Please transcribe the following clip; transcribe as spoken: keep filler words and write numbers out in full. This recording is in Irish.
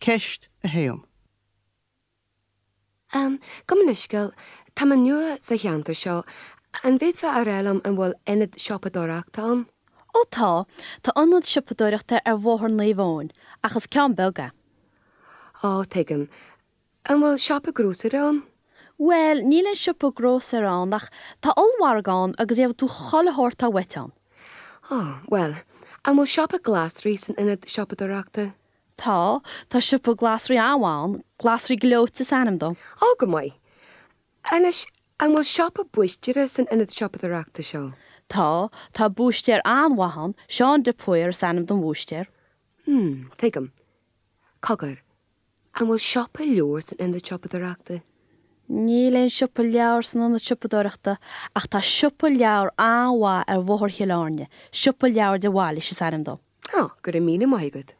Ceist a haon. Um, gabh mo leithscéal, tá mé nua sa cheantar seo, an bhféadfá a rá liom an bhfuil ionad siopadóireachta ann? Ó tá, tá ionad siopadóireachta ar Bhóthar Naomh Eoin, ach is ceann beag é. Ó, tuigim. An bhfuil siopa grósaera ann? Bhuel, níl aon siopa grósaera ann ach tá ollmhargadh ann agus gheobhaidh tú chuile shórt atá uait ann. Ó, bhuel, an bhfuil siopa glasraí san ionad siopadóireachta? Tá, tá siopa glasraí an-mhaith ann, Glasraí Gleoite is ainm dó. Ó, go maith. Anois, an bhfuil siopa búistéara san ionad siopadóireachta seo? Tá, tá búistéir an-mhaith ann, Seán de Paor is ainm don bhúistéir. Hmm, tuigim. Cogar, an bhfuil siopa leabhar san ionad siopadóireachta? Níl aon siopa leabhar san ionad siopadóireachta ach tá siopa leabhar an-mhaith ar Bhóthar Chill Airne, Siopa Leabhar de Bhailís is ainm dó. Ó, go raibh míle maith agat.